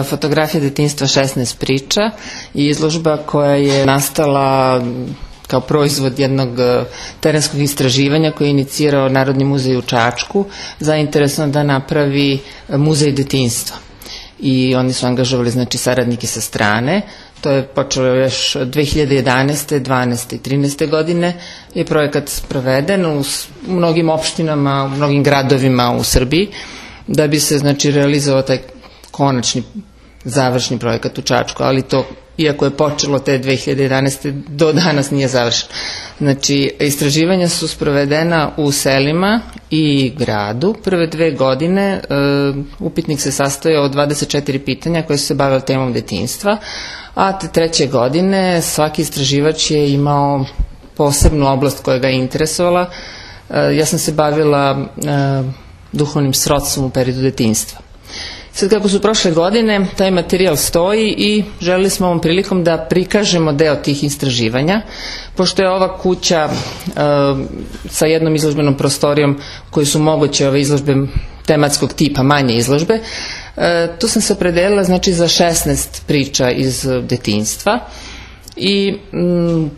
Fotografija detinjstva 16 priča i izložba koja je nastala kao proizvod jednog terenskog istraživanja koji je inicirao Narodni muzej u Čačku, zainteresovan da napravi muzej detinjstva. I oni su angažovali saradnike sa strane. To je počelo još 2011. 12. i 13. godine je projekat sproveden u mnogim opštinama, u mnogim gradovima u Srbiji, da bi se realizovao taj konačni završni projekat u Čačku, ali to, iako je počelo te 2011. do danas nije završeno. Istraživanja su sprovedena u selima i gradu. Prve 2 godine upitnik se sastojao od 24 pitanja koje su se bavile temom detinjstva, a te 3. godine svaki istraživač je imao posebnu oblast koja ga je interesovala. Ja sam se bavila duhovnim srodstvom u periodu detinjstva. Sad kako su prošle godine, taj materijal stoji i želeli smo ovom prilikom da prikažemo deo tih istraživanja, pošto je ova kuća sa jednom izložbenom prostorijom koji su moguće ove izložbe tematskog tipa, manje izložbe. Tu sam se opredelila za 16 priča iz detinjstva i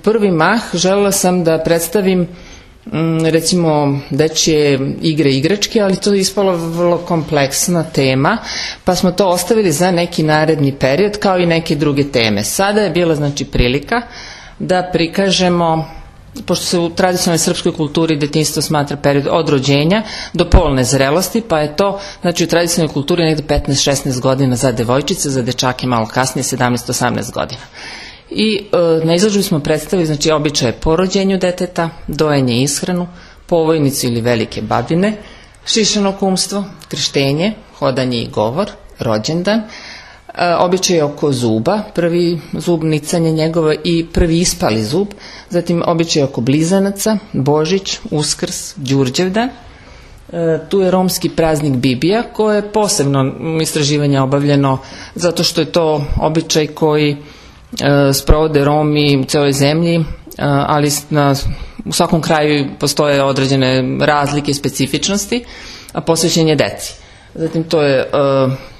prvi mah želela sam da predstavim recimo dečje igre i igračke, ali to je ispala vrlo kompleksna tema, pa smo to ostavili za neki naredni period kao i neke druge teme. Sada je bila prilika da prikažemo, pošto se u tradicionalnoj srpskoj kulturi detinjstvo smatra period od rođenja do polne zrelosti, pa je to u tradicionalnoj kulturi negde 15-16 godina za devojčice, za dečake malo kasnije 17-18 godina. I na izložbi smo predstavili običaje po rođenju deteta, dojenje i ishranu, povojnicu ili velike babine, šišano kumstvo, krštenje, hodanje i govor, rođendan, običaje oko zuba, prvi zub, nicanje njegovo i prvi ispali zub, zatim običaje oko blizanaca, Božić, Uskrs, Đurđevdan. Tu je romski praznik Bibija, koje je posebno istraživanje obavljeno zato što je to običaj koji sprovode Romi u celoj zemlji, ali u svakom kraju postoje određene razlike i specifičnosti, a posvećen je deci. Zatim to je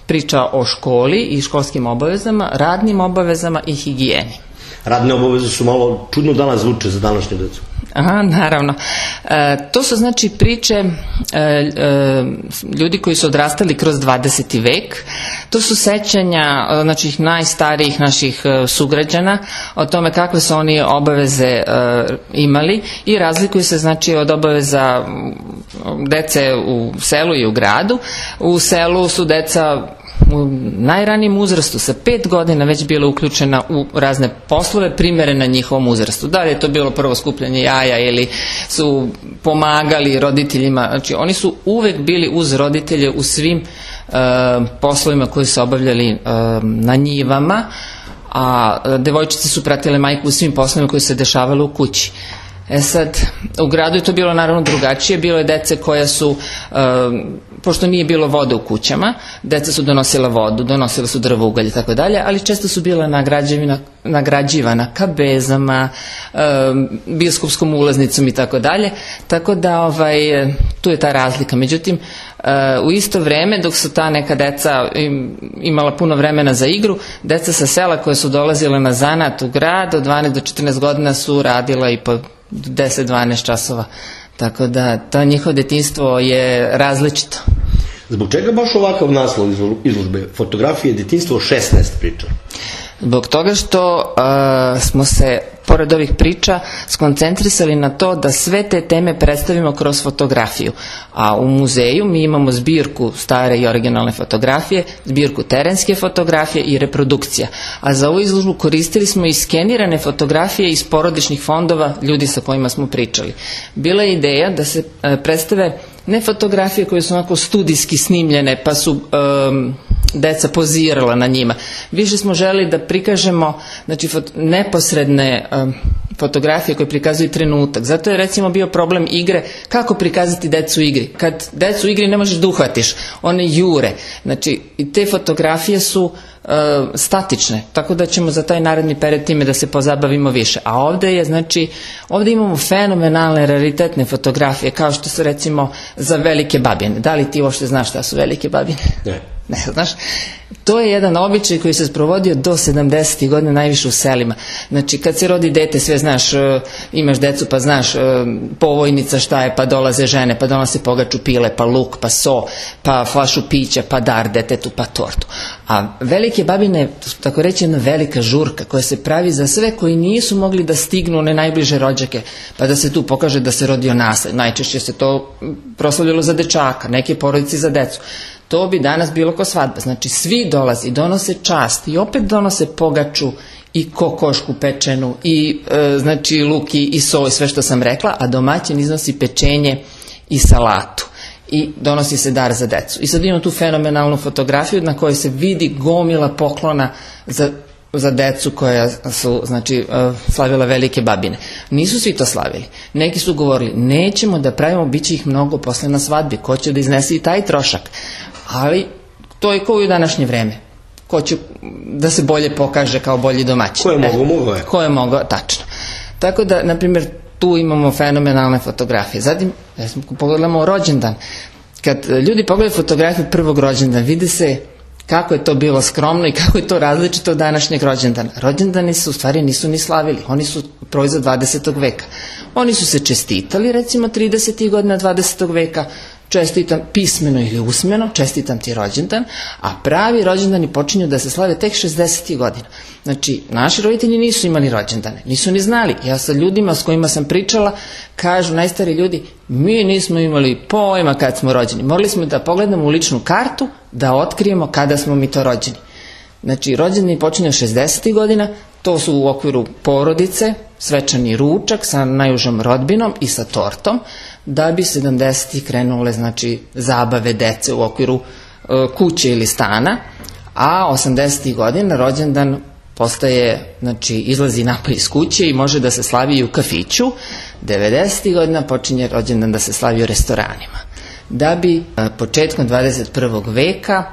priča o školi i školskim obavezama, radnim obavezama i higijeni. Radne obaveze su malo čudno danas zvuče za današnju decu. Aha, naravno. To su priče ljudi koji su odrastali kroz 20. vek. To su sećanja najstarijih naših sugrađana o tome kakve su oni obaveze imali i razlikuju se od obaveza dece u selu i u gradu. U selu su deca u najranijem uzrastu sa 5 godina već bila uključena u razne poslove primerene njihovom uzrastu. Da li je to bilo prvo skupljanje jaja ili su pomagali roditeljima, oni su uvek bili uz roditelje u svim poslovima koji su obavljali na njivama, a devojčice su pratile majku u svim poslovima koji se dešavali u kući. Sad, u gradu je to bilo naravno drugačije, bilo je dece koja su, pošto nije bilo vode u kućama, deca su donosila vodu, donosila su drvo, ugalj i tako dalje, ali često su bila nagrađivana kabezama, biskupskom ulaznicom i tako dalje, tako da tu je ta razlika. Međutim, u isto vreme, dok su ta neka deca imala puno vremena za igru, deca sa sela koje su dolazile na zanat u grad od 12 do 14 godina su radila i po 10-12 časova. Tako da to njihovo detinjstvo je različito. Zbog čega baš ovakav naslov izložbe? Fotografije detinjstvo 16 priča. Zbog toga što smo se, pored ovih priča, skoncentrisali na to da sve te teme predstavimo kroz fotografiju. A u muzeju mi imamo zbirku stare i originalne fotografije, zbirku terenske fotografije i reprodukcija. A za ovu izložbu koristili smo i skenirane fotografije iz porodičnih fondova ljudi sa kojima smo pričali. Bila je ideja da se predstave ne fotografije koje su onako studijski snimljene pa su deca pozirala na njima. Više smo želi da prikažemo neposredne fotografije koje prikazuju trenutak. Zato je recimo bio problem igre, kako prikazati decu u igri. Kad decu u igri ne možeš da uhvatiš, one jure. I te fotografije su statične, tako da ćemo za taj naredni period time da se pozabavimo više. A ovde imamo fenomenalne, raritetne fotografije, kao što su recimo za velike babine. Da li ti uopšte znaš šta su velike babine? Ne. Ne, znaš, to je jedan običaj koji se sprovodio do 70. godina najviše u selima. Znači, kad se rodi dete, sve znaš, imaš decu pa znaš povojnica šta je, pa dolaze žene, pa donose pogaču pile, pa luk, pa so, pa flašu pića, pa dar detetu, pa tortu. A velike babine, tako reći, jedna velika žurka koja se pravi za sve koji nisu mogli da stignu one najbliže rođake, pa da se tu pokaže da se rodio nasled. Najčešće se to proslavljalo za dečaka, neke porodice za decu. To bi danas bilo ko svadba. Znači, svi dolazi, donose čast i opet donose pogaču i kokošku pečenu i znači luk i so i sve što sam rekla, a domaćin iznosi pečenje i salatu i donosi se dar za decu. I sad imam tu fenomenalnu fotografiju na kojoj se vidi gomila poklona za decu koja su, znači, slavila velike babine. Nisu svi to slavili. Neki su govorili, nećemo da pravimo, bit će ih mnogo posle na svadbi, ko će da iznese i taj trošak. Ali to je kao i u današnje vreme. Ko će da se bolje pokaže kao bolji domaćin. Ko je mogao je. Ko je mogao, tačno. Tako da, na primjer, tu imamo fenomenalne fotografije. Zatim, pogledamo rođendan. Kad ljudi pogledaju fotografiju prvog rođendana, vidi se kako je to bilo skromno i kako je to različito od današnjeg rođendana. Rođendani se u stvari nisu ni slavili, oni su proizvod 20. veka. Oni su se čestitali, recimo 30. godina 20. veka, čestitam pismeno ili usmeno, čestitam ti rođendan, a pravi rođendani počinju da se slave tek 60. godina. Znači, naši roditelji nisu imali rođendane, nisu ni znali. Ja sa ljudima s kojima sam pričala, kažu najstari ljudi, mi nismo imali pojma kad smo rođeni. Morali smo da pogledamo u ličnu kartu, da otkrijemo kada smo mi to rođeni. Znači, rođendani počinju 60. godina, to su u okviru porodice, svečani ručak sa najužom rodbinom i sa tortom, da bi 70. krenule, znači, zabave dece u okviru kuće ili stana, a 80. godina rođendan postaje, znači, izlazi napolje iz kuće i može da se slavi i u kafiću. 90. godina počinje rođendan da se slavi u restoranima. Da bi početkom 21. veka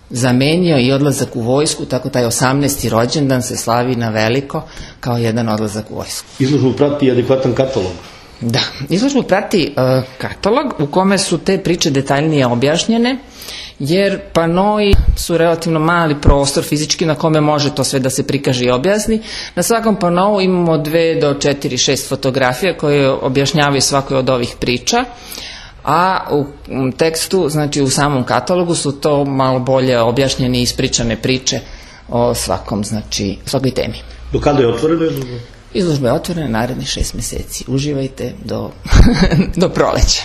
zamenio i odlazak u vojsku, tako taj 18. rođendan se slavi na veliko kao jedan odlazak u vojsku. Izložbu prati adekvatan katalog. Da, izložbu prati katalog u kome su te priče detaljnije objašnjene, jer panoi su relativno mali prostor fizički na kome može to sve da se prikaže i objasni. Na svakom panou imamo 2 do 4, 6 fotografija koje objašnjavaju svakoj od ovih priča, a u tekstu, znači u samom katalogu su to malo bolje objašnjene i ispričane priče o svakom, znači svakoj temi. Do kada je otvorena izložba? Izložba je otvorena narednih 6 meseci. Uživajte do proleća.